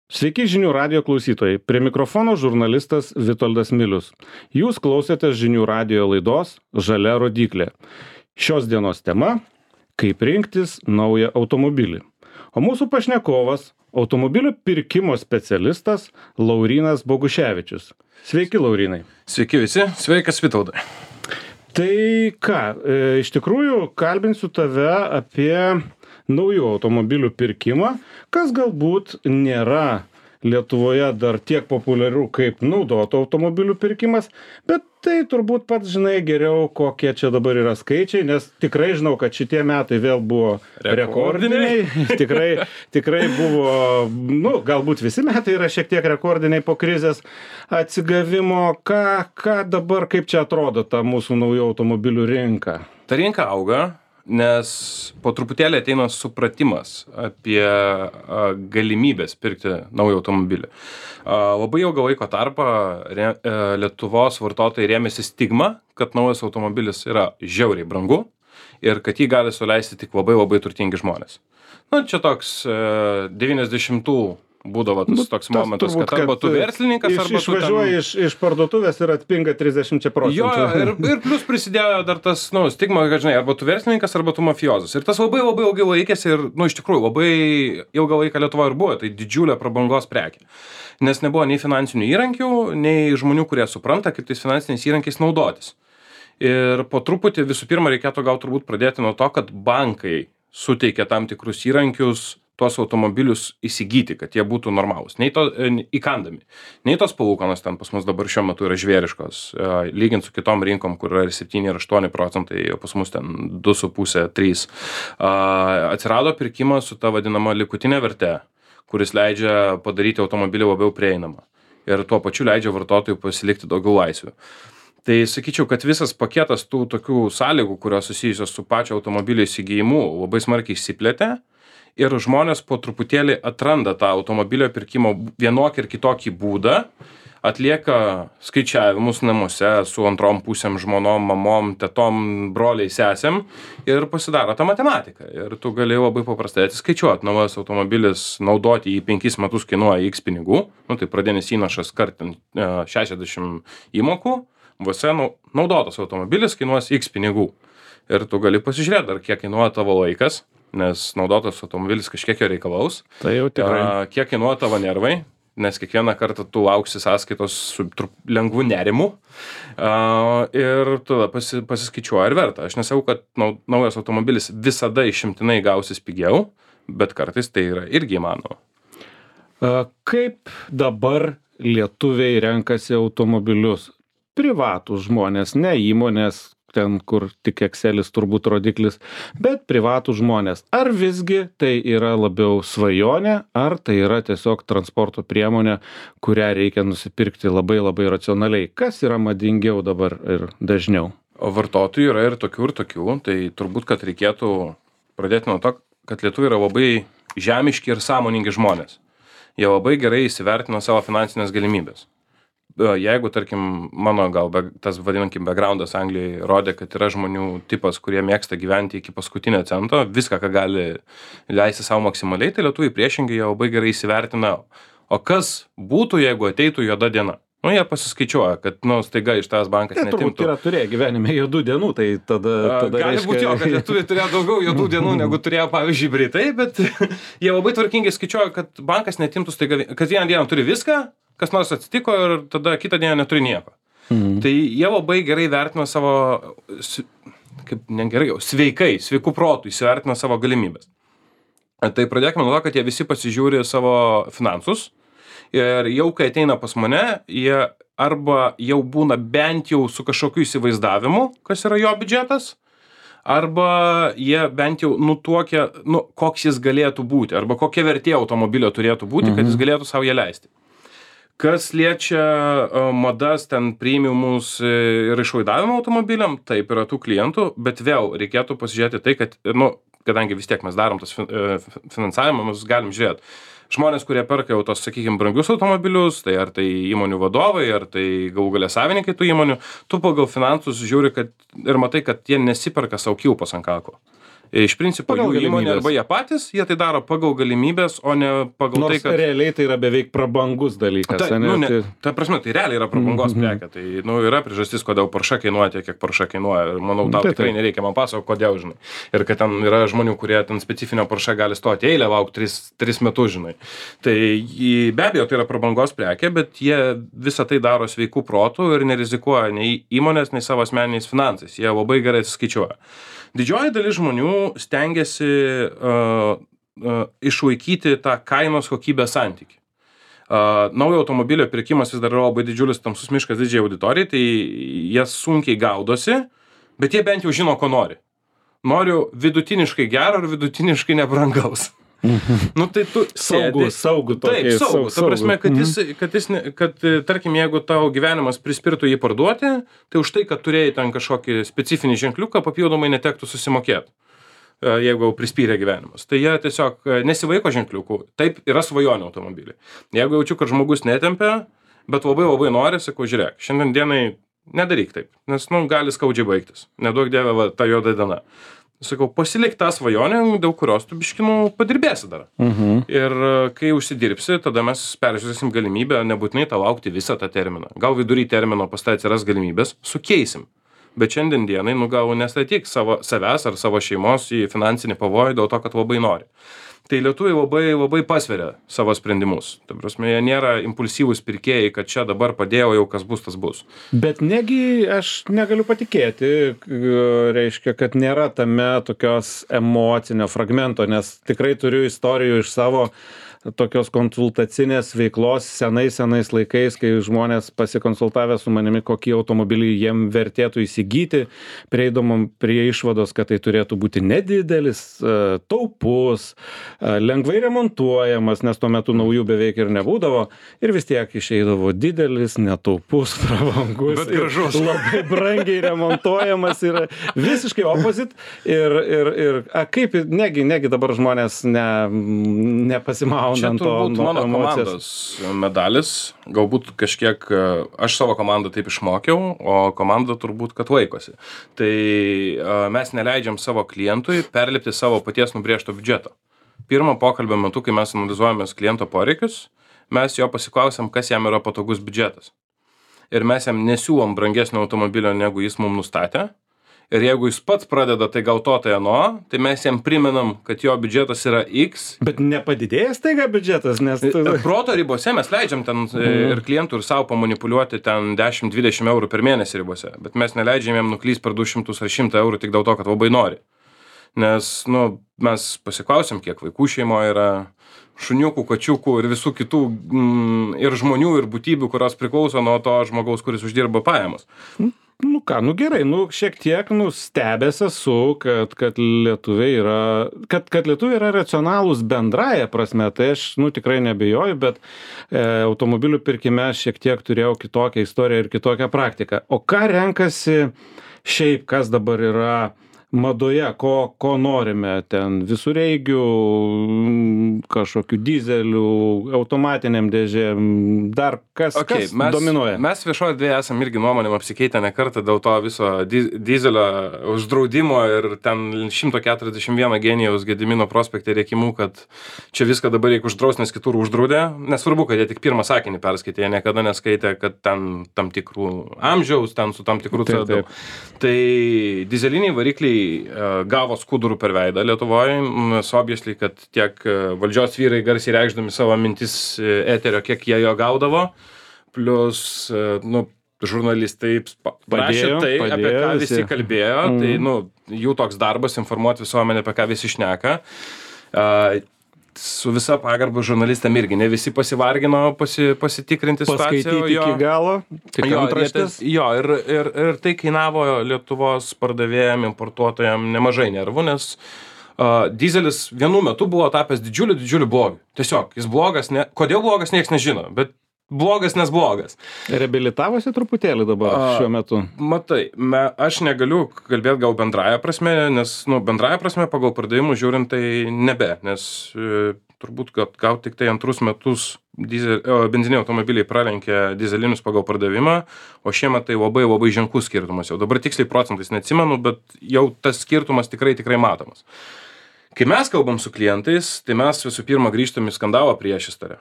Sveiki žinių radijo klausytojai. Prie mikrofono žurnalistas Vitoldas Milius. Jūs klausėte žinių radijo laidos Žalia rodyklė. Šios dienos tema – kaip rinktis naują automobilį. O mūsų pašnekovas – automobilių pirkimo specialistas Laurynas Boguševičius. Sveiki, Laurynai. Sveiki visi, sveikas Vitoldai. Tai ką, iš tikrųjų kalbinsiu tave apie naujų automobilių pirkimą, kas galbūt nėra Lietuvoje dar tiek populiaru kaip naudotų automobilių pirkimas, bet tai turbūt pats žinai geriau, kokie čia dabar yra skaičiai, nes tikrai žinau, kad šitie metai vėl buvo rekordiniai. Tikrai buvo, galbūt visi metai yra šiek tiek rekordiniai po krizės atsigavimo. Ką dabar, kaip čia atrodo ta mūsų naujų automobilių rinka? Ta rinka auga, nes po truputėlį ateina supratimas apie galimybės pirkti naują automobilį. Labai ilgą laiko tarpą Lietuvos vartotojai rėmėsi stigma, kad naujas automobilis yra žiauriai brangu ir kad jį gali suleisti tik labai turtingi žmonės. Čia toks 90-ų būdavo toks momentas, kad arba tu verslininkas, arba tu išvažiuoji iš parduotuvės ir atpinga 30%. Jo, ir plus prisidėjo dar tas, stigma, kad žinai, arba tu verslininkas, arba tu mafiozas. Ir tas labai ilgai laikėsi ir, iš tikrųjų, labai ilgą laiką Lietuvoje ir buvo, tai didžiulė prabangos prekė. Nes nebuvo nei finansinių įrankių, nei žmonių, kurie supranta, kaip tais finansiniais įrankiais naudotis. Ir po truputį visų pirma reikėtų gal turbūt pradėti nuo to, kad bankai suteikia tam tikrus įrankius tuos automobilius įsigyti, kad jie būtų normalūs, įkandami. Nei tos palūkanos ten pas mus dabar šiuo metu yra žvėriškos, lygint su kitom rinkom, kur yra 7 ir 8%, o pas mus ten 2,5-3. Atsirado pirkimas su ta vadinama likutinė verte, kuris leidžia padaryti automobilį labiau prieinamą ir tuo pačiu leidžia vartotojui pasilikti daugiau laisvių. Tai sakyčiau, kad visas paketas tų tokių sąlygų, kurios susijusios su pačio automobilio įsigijimu, labai smarkiai išsiplėtė. Ir žmonės po truputėlį atranda tą automobilio pirkimo vienokį ir kitokį būdą, atlieka skaičiavimus namuose su antrom pusėm, žmonom, mamom, tetom, broliai, sesėm ir pasidaro tą matematiką. Ir tu gali labai paprastai atsiskaičiuoti. Naujas automobilis naudoti į 5 metus kainuoja X pinigų, tai pradinis įnašas kartant 60 įmokų, vose naudotas automobilis kainuos X pinigų. Ir tu gali pasižiūrėti, ar kiek kainuoja tavo laikas, nes naudotas automobilis kažkiek jo reikalaus. Tai jau tikrai. Kiek kainuoja tavo nervai, nes kiekvieną kartą tu lauksi sąskaitos su lengvu nerimu. Ir tada pasiskaičiuoja ir verta. Aš nesakau, kad naujas automobilis visada išimtinai gausis pigiau, bet kartais tai yra irgi įmanoma. Kaip dabar lietuviai renkasi automobilius? Privatūs žmonės, ne įmonės, ten, kur tik Excelis turbūt rodiklis, bet privatų žmonės. Ar visgi tai yra labiau svajonė, ar tai yra tiesiog transporto priemonė, kurią reikia nusipirkti labai racionaliai? Kas yra madingiau dabar ir dažniau? O vartotojų yra ir tokių, tai turbūt, kad reikėtų pradėti nuo to, kad lietuviai yra labai žemiški ir sąmoningi žmonės. Jie labai gerai įsivertina savo finansinės galimybės. Jeigu, tarkim, mano tas vadinkim backgroundas Anglijoje rodė, kad yra žmonių tipas, kurie mėgsta gyventi iki paskutinio cento, viską, ką gali leisti savo maksimaliai, tai lietuviai priešingai jie labai gerai įsivertina, o kas būtų, jeigu ateitų juoda diena. Jie pasiskaičiuoja, kad, staiga iš tavęs bankas netimtų. Turbūt yra turėję gyvenime juodų dienų, tai tada gali reiškia... būti jo, kad lietuviai turėjo daugiau juodų dienų, negu turėjo, pavyzdžiui, Britai, bet jie labai tvarkingai skaičiuoja, kad bankas netimtų staiga, kad vieną dieną turi viską, kas nors atsitiko ir tada kitą dieną neturi nieko. Tai jie labai gerai vertina savo, sveikų protų įsivertina savo galimybės. Tai pradėkime nuo to, kad jie visi pasižiūri savo finansus ir jau kai ateina pas mane, jie arba jau būna bent jau su kažkokiu įsivaizdavimu, kas yra jo biudžetas, arba jie bent jau nutuokia, koks jis galėtų būti, arba kokia vertė automobilio turėtų būti, kad jis galėtų savo ją leisti. Kas liečia madas, ten premiumus ir išlaidavimo automobiliam, taip yra tų klientų, bet vėl reikėtų pasižiūrėti tai, kad, kadangi vis tiek mes darom tas finansavimą, mes galim žiūrėti. Žmonės, kurie perka jau tos, sakykime, brangius automobilius, tai ar tai įmonių vadovai, ar tai galų gale savininkai tų įmonių, tu pagal finansus žiūri ir matai, kad jie nesiperka savo kilpos ant kako. Iš principo Pagal jų įmonė galimybes. arba jie patys, jie tai daro pagal galimybės, o ne pagal Nors tai, kad... realiai tai yra beveik prabangus dalykas. Ta, ane? nu, ne, Tai- ta prasme, tai realiai yra prabangos prekė. Tai yra priežastis, kodėl Porsche kainuoja tiek, kiek Porsche kainuoja. Ir manau, tau Tai tikrai taip. nereikia man pasakoti, kodėl, žinai. Ir kad ten yra žmonių, kurie ten specifinio Porsche gali stoti eilę, laukti 3 metus, žinai. Tai be abejo, tai yra prabangos prekė, bet jie visą tai daro sveikų protų ir nerizikuoja nei įmonės, nei savo asmeniniais finansais. Jie labai gerai atsiskaičiuoja. Didžioji dalis žmonių stengiasi išlaikyti tą kainos kokybės santykį. Naujo automobilio pirkimas vis dar yra labai didžiulis tamsus miškas didžiai auditorijai, tai jie sunkiai gaudosi, bet jie bent jau žino, ko nori. Noriu vidutiniškai gero ir vidutiniškai nebrangaus. Nu tai tu sėdi... Saugų Taip, tokį. saugų. Ta prasme, kad tarkim, jeigu tau gyvenimas prispirtų jį parduoti, tai už tai, kad turėjai ten kažkokį specifinį ženkliuką, papildomai netektų susimokėti, jeigu jau prispyrė gyvenimas. Tai jie tiesiog nesivaiko ženkliukų. Taip, yra svajonių automobiliai. Jeigu jaučiu, kad žmogus netempia, bet labai labai nori, sakau, žiūrėk, šiandien dienai nedaryk taip, nes, gali skaudžiai baigtis. Neduok dieve, va, ta juoda diena. Sakau, pasilik tą svajonę, dėl kurios tu biškinų padirbėsi dar. Ir kai užsidirbsi, tada mes peržiūrėsim galimybę nebūtinai tau laukti visą tą terminą. Gal vidury termino pas tai atsiras galimybės, sukeisim. Bet šiandien dienai, gal nestatyk savęs ar savo šeimos į finansinį pavojų dėl to, kad labai nori. Tai lietuviai labai, labai pasveria savo sprendimus. Ta prasme, jie nėra impulsyvūs pirkėjai, kad čia dabar padėjau, jau kas bus, tas bus. Bet negi aš negaliu patikėti, reiškia, kad nėra tame tokios emocinio fragmento, nes tikrai turiu istorijų iš savo tokios konsultacinės veiklos senais laikais, kai žmonės pasikonsultavę su manimi, kokį automobilį jiem vertėtų įsigyti, prieidamom prie išvados, kad tai turėtų būti nedidelis, taupus, lengvai remontuojamas, nes tuo metu naujų beveik ir nebūdavo, ir vis tiek išeidavo didelis, netaupus, prabangus, Bet gražus. labai brangiai remontuojamas ir visiškai opposite. Ir kaip, negi dabar žmonės nepasimauna. Čia turbūt mano komandos medalis, galbūt kažkiek aš savo komandą taip išmokiau, o komanda turbūt, kad laikosi. Tai mes neleidžiam savo klientui perlipti savo paties nubrėžto biudžeto. Pirmo pokalbio metu, kai mes analizuojamės kliento poreikius, mes jo pasiklausiam, kas jam yra patogus biudžetas. Ir mes jam nesiūlom brangesnio automobilio, negu jis mums nustatė. Ir jeigu jis pats pradeda, tai gal to, tai ano, tai mes jam primenam, kad jo biudžetas yra X. Bet nepadidėjęs taiga biudžetas, nes... Proto ribose mes leidžiam ten ir klientų ir savo pamanipuliuoti ten 10-20 eurų per mėnesį ribose. Bet mes neleidžiam jam nuklysti per 200 ar 100 eurų tik dėl to, kad labai nori. Nes, mes pasiklausim, kiek vaikų šeimoje yra, šuniukų, kačiukų ir visų kitų ir žmonių, ir būtybių, kurios priklauso nuo to žmogaus, kuris uždirba pajamas. Gerai, šiek tiek stebęs esu, kad lietuviai yra racionalūs bendraja prasme, tai aš tikrai nebejoju, bet automobilių pirkime šiek tiek turėjau kitokią istoriją ir kitokią praktiką. O ką renkasi šiaip, kas dabar yra madoje, ko norime ten visureigių, kažkokių dizelių, automatiniam dėžėm, dar kas dominuoja? Mes viešoje erdvėje esam irgi nuomonėm apsikeitę ne kartą dėl to viso dizelio uždraudimo ir ten 141 genijaus Gedimino prospekte rėkimų, kad čia viską dabar reikia uždrausti, nes kitur uždraudė. Nesvarbu, kad jie tik pirmą sakinį perskaitė, jie niekada neskaitė, kad ten tam tikrų amžiaus, ten su tam tikrų CO2. Tai dizeliniai varikliai gavo skudurų per veidą Lietuvoje, nes obviously, kad tiek valdžios vyrai garsiai reikšdami savo mintis eterio, kiek jie jo gaudavo, plus, žurnalistai prašė tai, apie ką visi kalbėjo, tai, jų toks darbas informuoti visuomenę, apie ką visi šneka. Su visa pagarba žurnalistam irgi, ne visi pasivargino pasitikrinti situaciją. Paskaityti iki galo, tik antraštės. Jo, ir tai kainavo Lietuvos pardavėjam, importuotojam nemažai nervų, nes dizelis vienu metu buvo tapęs didžiuliu blogiu. Tiesiog, jis blogas, kodėl blogas, nieks nežino, bet blogas, nes blogas. Reabilitavosi truputėlį dabar šiuo metu? Matai, aš negaliu kalbėti gal bendraja prasme, nes, bendraja prasme pagal pardavimų žiūrint tai nebe, nes turbūt, kad gal tik tai antrus metus benziniai automobiliai pralenkė dizelinius pagal pardavimą, o šiemet tai labai labai ženklus skirtumas jau. Dabar tiksliai procentais neatsimenu, bet jau tas skirtumas tikrai matomas. Kai mes kalbam su klientais, tai mes visų pirma grįžtam į skandalo priešistorę.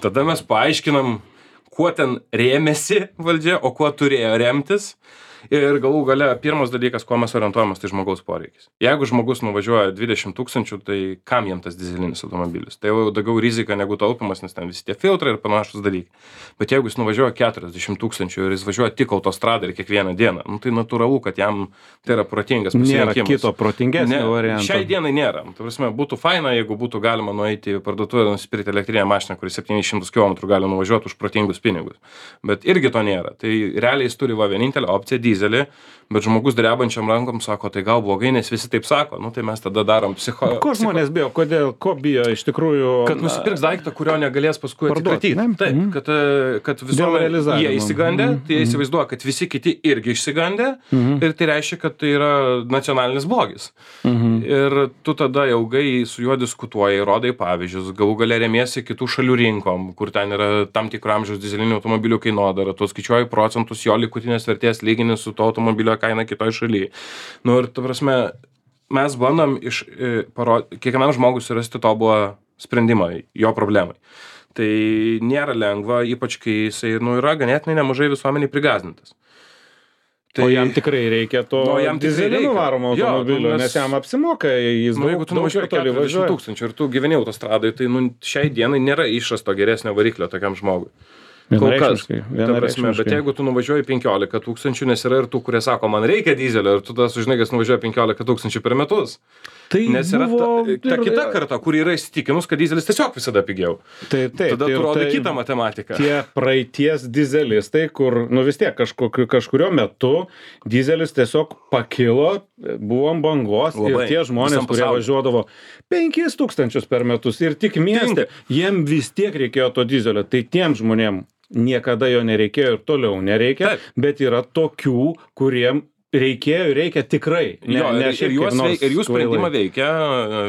Tada mes paaiškinam, kuo ten rėmėsi valdžia, o kuo turėjo remtis. Ir galų gale pirmas dalykas, kuo mes orientuojamės, tai žmogaus poreikis. Jeigu žmogus nuvažiuoja 20 000, tai kam jam tas dizelinis automobilis? Tai jau daugiau rizika negu taupimas, nes ten visi tie filtrai ir panašus dalykai. Bet jeigu jis nuvažiuoja 40 000 ir jis važiuoja tik autostradą ir kiekvieną dieną, tai natūralu, kad jam tai yra protingas pasirinkimas. Nėra kito protingesnio varianto. Šiai dienai nėra. Tai prasme, būtų faina, jeigu būtų galima nueiti į parduotuvę ir nusipirkti elektrinę mašiną, kuri 700 km gali nuvažiuoti už protingus pinigus. Bet irgi to nėra. Tai realiai jis turi vienintelę opciją dizelį, bet žmogus drebančiam rankom sako, tai gal blogai, nes visi taip sako, tai mes tada darom Ko žmonės bijo? Ko bijo iš tikrųjų? Kad nusipirks daiktą, kurio negalės paskui atsikratyti. Taip, kad visuomenė jie įsigandė, tai jie įsivaizduoja, kad visi kiti irgi išsigandė ir tai reiškia, kad tai yra nacionalinis blogis. Ir tu tada ilgai su juo diskutuoji, rodai pavyzdžius, galų gale remiesi kitų šalių rinkom, kur ten yra tam tikro amžiaus dizelinių automobilių kainodara, tu skaičiuoji procentus jo likutinės vertės lygini su to automobilio kaina kitoj šalyje. Ir ta prasme, mes bandom kiekvienam žmogui surasti tobulą sprendimą jo problemai. Tai nėra lengva, ypač kai jisai yra ganėtinai nemažai visuomeniai prigąsdintas. Tai jam tikrai reikia to dizelinu varomo automobilio, nes jam apsimoka, jis jeigu tu nuvažiuoji 40 000 ir tu gyveni autostradai, tai šiai dienai nėra išrasto geresnio variklio tokiam žmogui. Vienareikšmiškai. Bet jeigu tu nuvažiuoji 15 000, nes yra ir tų, kurie sako, man reikia dizelio, ir tu tada sužinai, kad nuvažiuoja 15 000 per metus. Tai nes yra ta kita karta, kuri yra įsitikinus, kad dizelis tiesiog visada pigiau. Tada tu rodai kitą matematiką. Tie praeities dizelistai, kur vis tiek kažkurio metu dizelis tiesiog pakilo, buvo ant bangos ir tie žmonės, kurie važiuodavo 5 000 per metus ir tik mieste, jiem vis tiek reikėjo to dizelio. Tai tiem žmonėm niekada jo nereikėjo ir toliau nereikia, bet yra tokių, kuriem reikia tikrai. Ir jų sprendimą veikia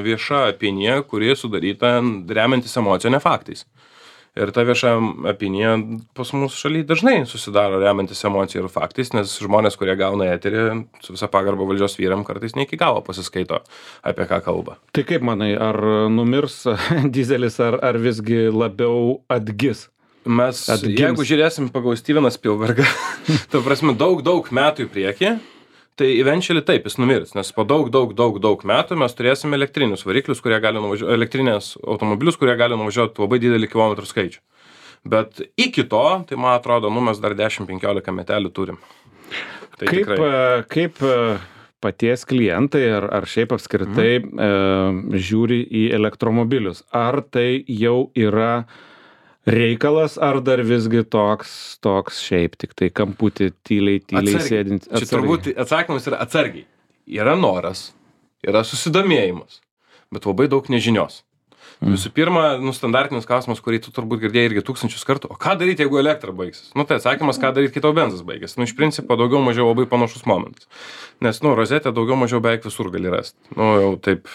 vieša opinija, kuri sudaryta remiantis emocinė faktais. Ir ta vieša opinija pas mūsų šalyje dažnai susidaro remiantis emocija ir faktais, nes žmonės, kurie gauna eterį, su visa pagarba valdžios vyram, kartais ne iki galo pasiskaito, apie ką kalba. Tai kaip manai, ar numirs dizelis, ar visgi labiau atgis? Jeigu žiūrėsim pagal Steveną Spielbergą, ta prasme daug metų į priekį, tai eventually taip jis numirs, nes po daug metų mes turėsime elektrinius variklius, kurie gali nuvažiuoti, elektrinės automobilius, kurie gali nuvažiuoti labai didelį kilometrų skaičių. Bet iki to, tai man atrodo, mes dar 10-15 metelių turim. Tai kaip paties klientai ar šiaip apskritai žiūri į elektromobilius? Ar tai jau yra reikalas, ar dar visgi toks šiaip tik tai kamputį tyliai sėdint? Čia turbūt atsakymas yra atsargiai. Yra noras, yra susidomėjimas, bet labai daug nežinios. Visų pirma, standartinis klausimas, kurį tu turbūt girdėjai irgi 1000 kartų, o ką daryti, jeigu elektra baigsis? Tai atsakymas, ką daryti, kai tau benzas baigsis. Iš principo daugiau mažiau labai panašus momentas. Nes, rozetę daugiau mažiau beveik visur gali rasti. Jau taip,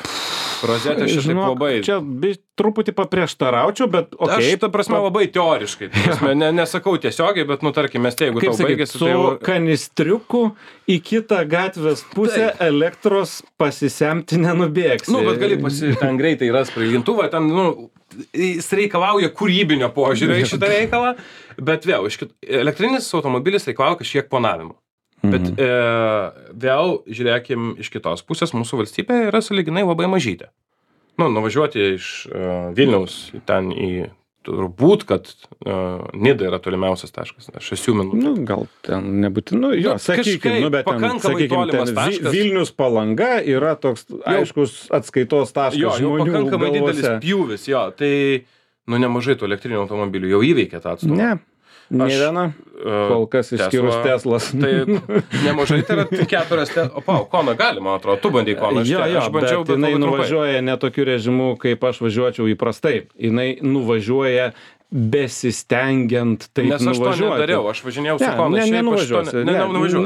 rozetė šitaip labai... Čia truputį paprieštaraučiau, bet Aš, ta prasme, labai teoriškai. Nesakau tiesiogiai, bet, tarkim, jeigu tau baigėsi... Su kanistriuku į kitą gatvės pusę elektros pasisemti nenubėgsi. Bet gali ten greitai ras prailgintuvą, ten, jis reikalauja kūrybinio požiūrio į šitą reikalą, bet vėl, elektrinis automobilis reikalauja kažkiek planavimo. Bet vėl, žiūrėkim, iš kitos pusės, mūsų valstybė yra sąlyginai labai mažytė. Nuvažiuoti iš Vilniaus ten į turbūt, kad Nida yra tolimiausias taškas, 6 minučių. Gal ten nebūtinai, sakykim, bet ten Vilnius Palanga yra toks aiškus atskaitos taškas žmonių galvose. Pakankamai didelis pjūvis, tai nemažai tų elektrinių automobilių jau įveikia tą atstumą. Ne. Nė viena, kol kas išskyrus Teslas. Taip, nemažai, tai yra 4 Teslas. Koną gali, man atrodo, tu bandai Koną. Aš bandžiau, bet jinai nuvažiuoja ne tokiu režimu, kaip aš važiuočiau įprastai. Jinai nuvažiuoja besistengiant taip Nes aš to nuvažiuoti. nedariau, aš važinėjau su Kona.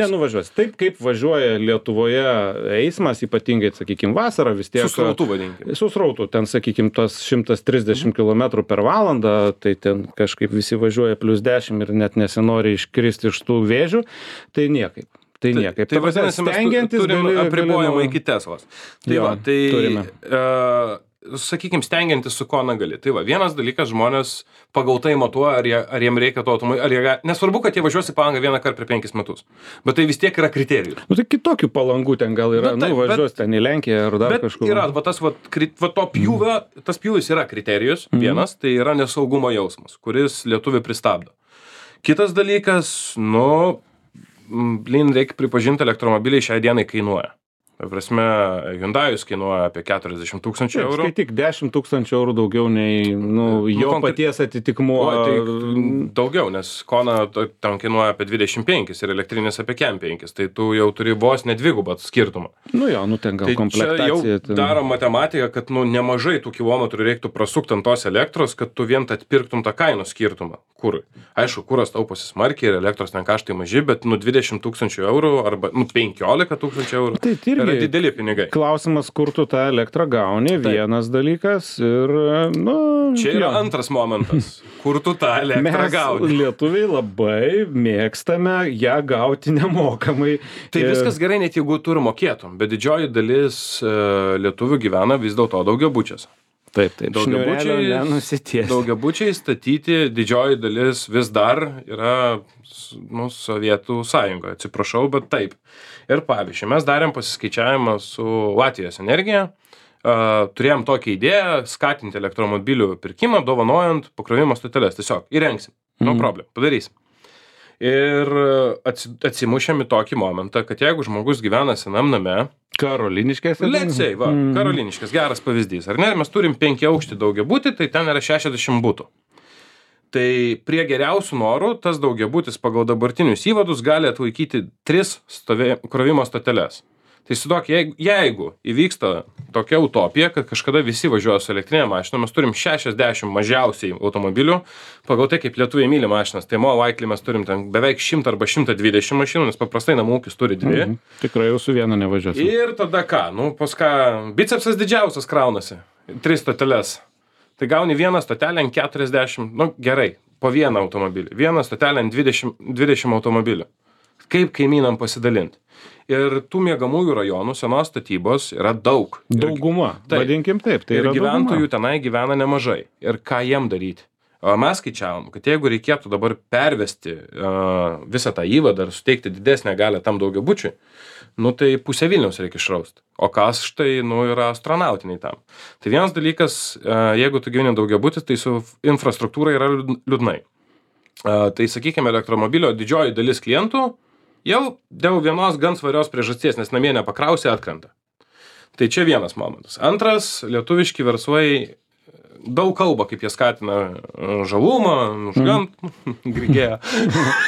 Nenuvažiuosi. Taip kaip važiuoja Lietuvoje eismas, ypatingai, sakykime, vasarą vis tiek. Su srautu vadinkim. Su srautu, ten, sakykime, tas 130 km per valandą, tai ten kažkaip visi važiuoja +10 ir net nesinori iškristi iš tų vėžių, tai niekaip. Tai niekaip. Tai vadinasi, mes turim apribojimą iki Teslos. Tai Jo, va, tai, turime. sakykime, stengiantis su Kona gali. Tai va, vienas dalykas, žmonės pagautai matuoja, ar jiem reikia to automobilio, nesvarbu, kad jie važiuos į Palangą vieną kartą per 5 metus, bet tai vis tiek yra kriterijus. Nu, tai kitokių palangų ten gal yra, taip, važiuos ten į Lenkiją ar dar kažkur. Bet yra, va, tas to pjūvio, tas pjūvis yra kriterijus, vienas, tai yra nesaugumo jausmas, kuris lietuvį pristabdo. Kitas dalykas, reikia pripažinti, elektromobiliai šiai dienai kainuoja. Ta prasme, Hyundai'us kainuoja apie 40 000 eurų. Skaityk, 10 000 eurų daugiau nei jo paties atitikmuo. Tai daugiau, nes Kona ten kainuoja apie 25 ir elektrinis apie 5, tai tu jau turi vos nedvigubą skirtumą. Ten gal komplektacija. Tai čia jau daro matematiką, kad nemažai tų kilometrų reiktų prasukti ant tos elektros, kad tu vien atpirktum tą kainų skirtumą kurui. Aišku, kuras tauposi smarkiai ir elektros ten kaštai maži, bet 20 000 eurų arba 15 000 eurų. Tai irgi yra dideli pinigai. Klausimas, kur tu tą elektrą gauni, vienas dalykas ir, Čia yra antras momentas, kur tu tą elektrą gauni. Mes lietuviai labai mėgstame ją gauti nemokamai. Tai viskas gerai, net jeigu tu ir mokėtum, bet didžioji dalis lietuvių gyvena vis dėlto daugiabučiuose. Taip. Daugiabučiai statyti didžioji dalis vis dar yra Sovietų sąjungoje, atsiprašau, bet taip. Ir pavyzdžiui, mes darėm pasiskaičiavimą su Latvijos energija, turėjom tokią idėją skatinti elektromobilių pirkimą, dovanojant pakrovimo stoteles. Tiesiog įrengsim, no problem, padarysim. Ir atsimušėm į tokį momentą, kad jeigu žmogus gyvena senam name, Karoliniškės. Let's say, Karoliniškės, geras pavyzdys, ar ne? Mes turim 5 aukštį daugiabutį, tai ten yra 60 butų. Tai prie geriausių norų tas daugiabutis pagal dabartinius įvadus gali atlaikyti 3 krovimo stoteles. Tai įsivaizduok, jeigu įvyksta tokia utopija, kad kažkada visi važiuoja su elektrinė mašina, mes turim 60 mažiausiai automobilių, pagal tai kaip lietuviai myli mašinas, tai Likely mes turim ten beveik 100 arba 120 mašinų, nes paprastai namų ūkis turi 2. Tikrai jau su viena nevažiuosim. Ir tada ką? Pas ką bicepsas didžiausias kraunasi, 3 stoteles. Tai gauni vieną stotelę ant 40, gerai, po vieną automobilį, vieną stotelę ant 20 automobilių. Kaip kaimynam pasidalinti? Ir tų miegamųjų rajonų senos statybos yra daug. Dauguma, vadinkim taip. Tai ir yra gyventojų dauguma. tenai gyvena nemažai. Ir ką jiem daryti? O mes skaičiavom, kad jeigu reikėtų dabar pervesti visą tą įvadą ir suteikti didesnę galią tam daugiabučiui, tai pusę Vilniaus reikia išrausti. O kas štai, yra astronautiniai tam. Tai vienas dalykas, jeigu tu gyveni daugiabutis, tai su infrastruktūra yra liūdnai. Tai sakykime, elektromobilio didžioji dalis klientų jau dėl vienos gan svarios priežasties, nes namie nepakrausi, atkrenta. Tai čia vienas momentas. Antras, lietuviški verslai daug kalba, kaip jie skatina žalumą, nužgant, grigėją.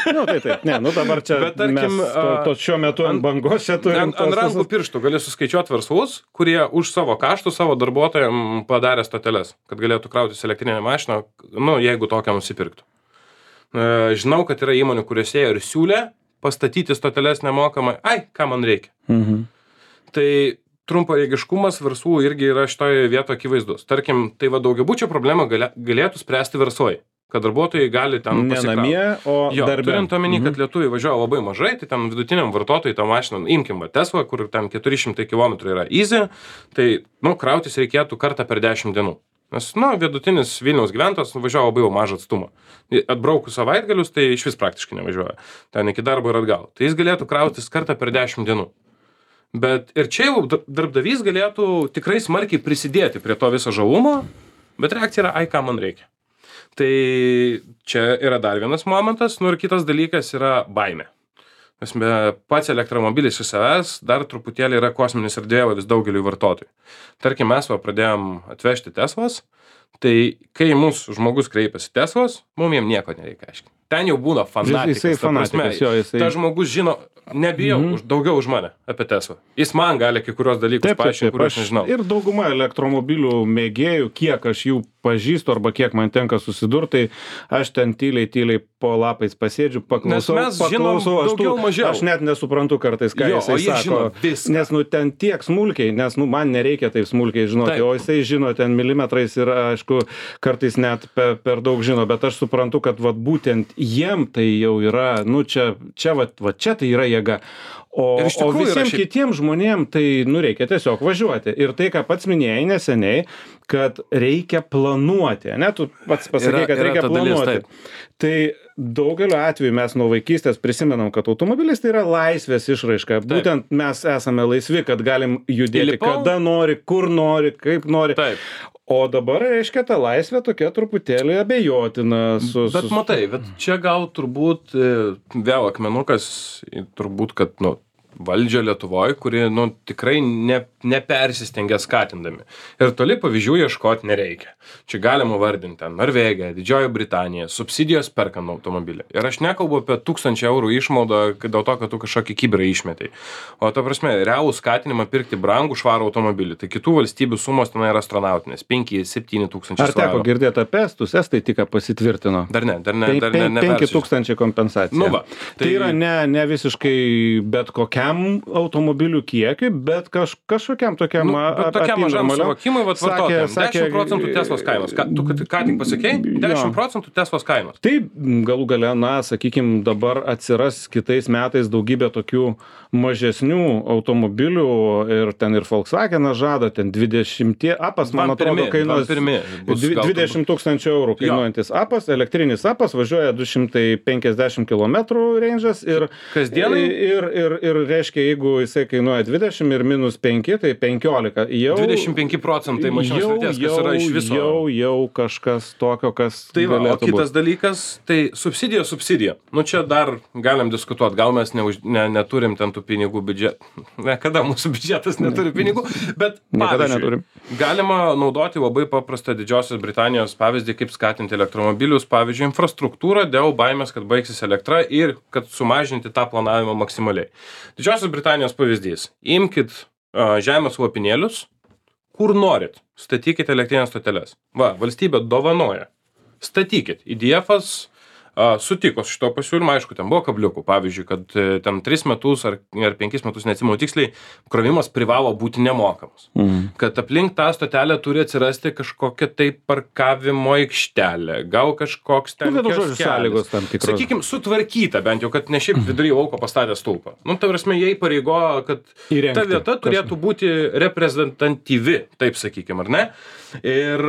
Dabar čia bet, tarkim, mes šiuo metu ant bangos čia turim. Ant rankų pirštų gali suskaičiuoti verslus, kurie už savo kaštų savo darbuotojams padarė stoteles, kad galėtų krautis elektrinę mašiną, jeigu tokią nusipirktų. Žinau, kad yra įmonių, kuriuose ir siūlė pastatyti stoteles nemokamai. Ką man reikia? Tai trumparegiškumas verslų irgi yra šitoje vietoje akivaizdus. Tarkim, tai daugiabučio problemą galėtų spręsti verslai, kad darbuotojai gali ten pasikrauti. Ne namie, o darbe. Turint omeny, kad lietuviai važiuoja labai mažai, tai ten vidutiniam vartotojui tą mašiną, imkim Tesla, kur ten 400 km yra easy, tai krautis reikėtų kartą per 10 dienų. Nes, vidutinis Vilniaus gyventojas važiavo labai mažą atstumą. Atbraukus savaitgalius, tai iš vis praktiškai nevažiuoja. Ten iki darbo ir atgal. Tai jis galėtų krautis kartą per 10 dienų. Bet ir čia jau darbdavys galėtų tikrai smarkiai prisidėti prie to viso žalumo, bet reakcija yra, ką man reikia. Tai čia yra dar vienas momentas, ir kitas dalykas yra baimė. Pats elektromobilis iš savęs dar truputėlį yra kosminis erdvėlaivis daugeliui vartotojų. Tarkim, mes pradėjom atvežti Teslas, tai kai mūsų žmogus kreipiasi Teslas, mums jiem nieko nereikia aiškinti. Ten jau būna fanatikas. Ta žmogus žino, nebijau, daugiau už mane apie Teslą. Jis man gali kai kurios dalykus paaiškinti, kuriuos nežinau. Ir dauguma elektromobilių mėgėjų, kiek aš jų pažįstu arba kiek man tenka susidurt, tai aš ten tyliai po lapais pasėdžiu, paklausau, aš net nesuprantu kartais, ką jisai sako, nes ten tiek smulkiai, nes man nereikia taip smulkiai žinoti, o jisai žino ten milimetrais ir aišku, kartais net per daug žino, bet aš suprantu, kad vat būtent jiem tai jau yra, čia tai yra jėga. O visiems kitiems žmonėms tai reikia tiesiog važiuoti. Ir tai, ką pats minėjai neseniai, kad reikia planuoti. Ne, tu pats pasakei, kad reikia planuoti. Tai daugeliu atveju mes nuo vaikystės prisimenam, kad automobilis tai yra laisvės išraiška. Būtent mes esame laisvi, kad galim judėti kada nori, kur nori, kaip nori. O dabar, reiškia, ta laisvė tokia truputėlį abejotina. Bet matai, bet čia gal turbūt vėl akmenukas, turbūt, kad, valdžia Lietuvoje, kuri, tikrai nepersistengia skatindami. Ir toli pavyzdžių ieškoti nereikia. Čia galima vardinti ten Norvegija, Didžioji Britanija, subsidijos perkant automobilį. Ir aš nekalbu apie 1000 eurų išmaudą dėl to, kad tu kažkokį kibirą išmetai. O ta prasme, realų skatinimą pirkti brangų švarų automobilį. Tai kitų valstybių sumos ten yra astronautinės. 5-7 tūkstančių svarų. Ar teko girdėti apie estus? Estai tik pasitvirtino. Dar ne. 5000 kompensacija. Tai yra ne visiškai bet kokia automobilių kiekiui, bet kažkokiam tokiam tokiam mažam suvokimui, vartotojams. 10% Teslos kainos. Tu ką tik pasakei? 10% Teslos kainos. Tai galų gale, sakykim, dabar atsiras kitais metais daugybė tokių mažesnių automobilių ir ten ir Volkswagenas žada, ten 20 apas, man atrodo, kainuos 20 000 eurų kainuojantis apas, elektrinis apas, važiuoja 250 km range'as ir kasdienai ir reiškia, jeigu jisai kainuoja 20 ir minus 5, tai 15. 25% mašinos vertės, kas yra iš viso. Jau kažkas tokio, kas galėtų būti. O kitas dalykas, tai subsidija. Čia dar galim diskutuoti, gal mes neturim ten tų pinigų biudžetą. Kada mūsų biudžetas neturi pinigų, bet pavyzdžiui, galima naudoti labai paprastą Didžiosios Britanijos pavyzdį, kaip skatinti elektromobilius, pavyzdžiui, infrastruktūrą dėl baimės, kad baigsis elektra ir kad sumažinti tą planavimą maksimaliai. Didžiosios Britanijos pavyzdys. Imkit žemės lopinėlius, kur norit. Statykit elektrinės stoteles. Valstybė dovanoja. Statykit. IDF-as sutiko su šito pasiūlymu, aišku, ten buvo kabliukų. Pavyzdžiui, kad ten 3 metus ar 5 metus, neatsimenu tiksliai, krovimas privalo būti nemokamas. Kad aplink tą stotelę turi atsirasti kažkokia tai parkavimo aikštelė, gal kažkoks ten sąlygos tam tikros. Sakykim, sutvarkyta bent jau, kad ne šiaip vidury lauko pastatė stulpą. Ta prasme, jie įpareigojo, kad ta vieta turėtų būti reprezentatyvi, taip sakykim, ar ne? Ir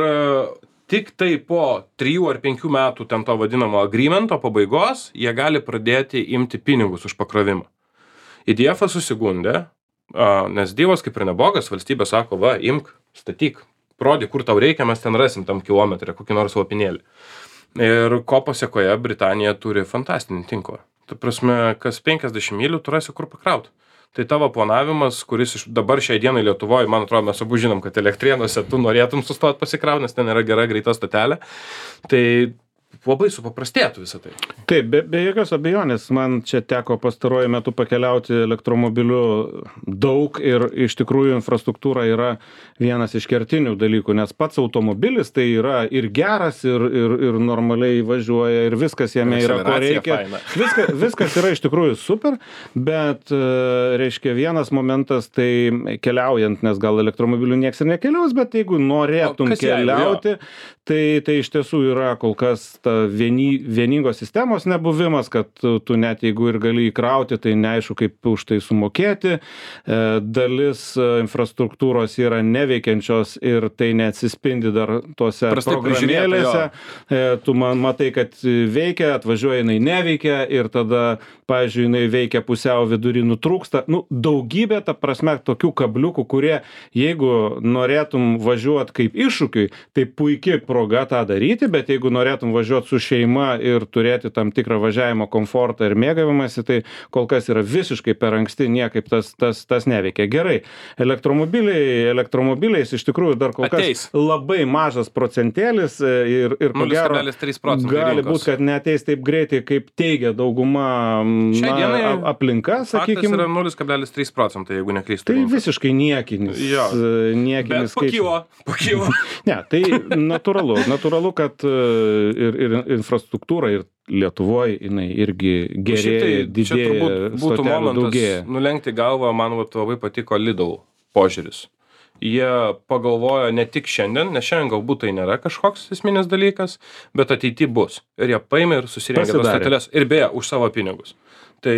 tik tai po 3 ar 5 metų ten to vadinamo agreemento pabaigos, jie gali pradėti imti pinigus už pakrovimą. IDF-as susigundė, nes Dievas kaip ir nebogas, valstybė sako, imk, statyk, rodyk, kur tau reikia, mes ten rasim tam kilometrą, kokį nors lopinėlį. Ir ko pasekoje Britanija turi fantastinį tinklą. Ta prasme, kas 50 mylių tu rasi kur pakrauti. Tai tavo planavimas, kuris dabar šiai dienai Lietuvoje, man atrodo, mes abu žinom, kad Elektrėnuose tu norėtum sustoti pasikrauti, nes ten yra gera greita stotelė. Tai labai supaprastėtų visą tai. Taip, be jokios abejonės, man čia teko pastaruoju metu pakeliauti elektromobiliu daug ir iš tikrųjų infrastruktūra yra vienas iš kertinių dalykų, nes pats automobilis tai yra ir geras, ir normaliai važiuoja, ir viskas jame yra, ko reikia. Viskas yra iš tikrųjų super, bet, reiškia, vienas momentas tai keliaujant, nes gal elektromobiliu nieks ir nekeliaus, bet jeigu norėtum keliauti, tai iš tiesų yra kol kas ta vieningos sistemos nebuvimas, kad tu net jeigu ir gali įkrauti, tai neaišku, kaip už tai sumokėti. Dalis infrastruktūros yra neveikiančios ir tai neatsispindi dar tose programėlėse. Tu matai, kad veikia, atvažiuoja, jinai neveikia ir tada, pavyzdžiui, jinai veikia pusiau vidury nutrūksta. Daugybė, ta prasme, tokių kabliukų, kurie, jeigu norėtum važiuoti kaip iššūkiui, tai puikiai proga tą daryti, bet jeigu norėtum važiuoti važiuot su šeima ir turėti tam tikrą važiavimo komfortą ir mėgavimąsi, tai kol kas yra visiškai per anksti, niekaip tas neveikia. Gerai, elektromobiliais iš tikrųjų dar kol kas labai mažas procentėlis ir ko gero 0,3% gali būti, kad neateis taip greitai, kaip teigia dauguma aplinka, sakykime. Faktas yra 0,3%, jeigu neklystu. Tai visiškai niekinis. Niekinis skaičius. Pakylo. Ne, tai natūralu, kad ir infrastruktūra, ir Lietuvoje jinai irgi gerėja, didėja, būtų momentas nulenkti galvą, man labai patiko Lidl požiūris. Jie pagalvojo ne tik šiandien, nes šiandien galbūt tai nėra kažkoks esminis dalykas, bet ateity bus. Ir jie paėmė ir susirengė tas stoteles. Ir beje, už savo pinigus. Tai,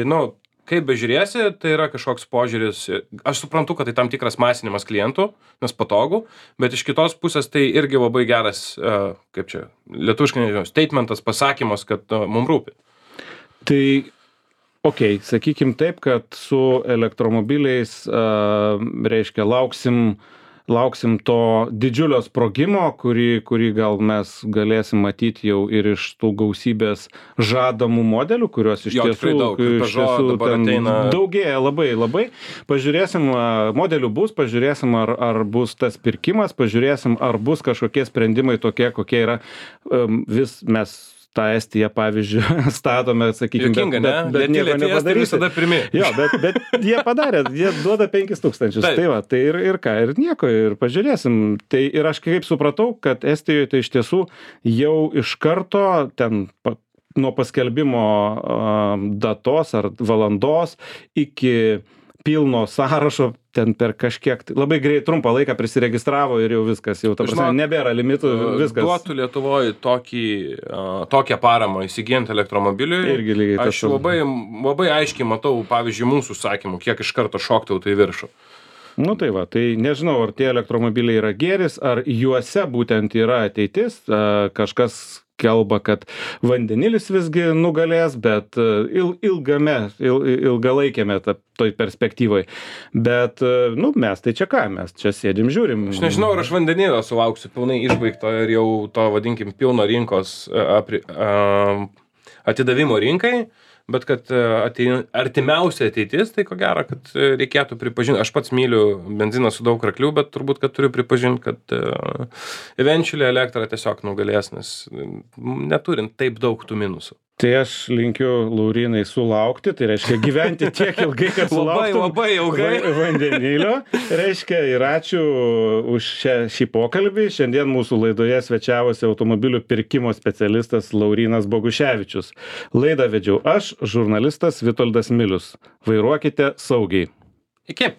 kaip bežiūrėsi, tai yra kažkoks požiūris. Aš suprantu, kad tai tam tikras masinimas klientų, nes patogu, bet iš kitos pusės tai irgi labai geras, lietuviškai nežinau, statementas, pasakymas, kad mums rūpi. Tai, sakykim taip, kad su elektromobiliais, reiškia, lauksim to didžiulio sprogimo, kurį gal mes galėsim matyti jau ir iš tų gausybės žadamų modelių, kuriuos iš tiesų daugėja labai. Pažiūrėsim, modelių bus, pažiūrėsim, ar bus tas pirkimas, pažiūrėsim, ar bus kažkokie sprendimai tokie, kokie yra. Vis mes tą Estiją, pavyzdžiui, statome, sakykime, bet nieko nepadarys. Jo, bet jie padarė, jie duoda 5,000. Tai ir ką, ir nieko, ir pažiūrėsim. Tai ir aš kaip supratau, kad Estijoje tai iš tiesų jau iš karto ten nuo paskelbimo datos ar valandos iki pilno sąrašo ten per kažkiek, labai greit trumpą laiką prisiregistravo ir jau viskas, jau ta prasme nebėra limitų, viskas. Duotų Lietuvoje tokią paramą įsigijant elektromobiliui, aš labai aiškiai matau, pavyzdžiui, mūsų užsakymų, kiek iš karto šoktų tai viršų. Tai nežinau, ar tie elektromobiliai yra gėris, ar juose būtent yra ateitis, kažkas kalba, kad vandenilis visgi nugalės, bet ilgalaikėme toj perspektyvoj. Bet, mes tai čia ką, mes čia sėdim, žiūrim. Aš nežinau, ar aš vandenilio sulauksiu pilnai išbaigto ir jau to, vadinkim, pilno rinkos atidavimo rinkai, bet kad artimiausia ateitis, tai ko gero, kad reikėtų pripažinti. Aš pats myliu benziną su daug raklių, bet turbūt, kad turiu pripažinti, kad eventually elektra tiesiog nugalės, nes neturint taip daug tų minusų. Tai aš linkiu Laurynai sulaukti, tai reiškia gyventi tiek ilgai, kad sulauktum labai ilgai vandenilio. Reiškia ir ačiū už šį pokalbį. Šiandien mūsų laidoje svečiavosi automobilių pirkimo specialistas Laurynas Boguševičius. Laidą vedžiau aš, žurnalistas Vitoldas Milius. Vairuokite saugiai. Iki.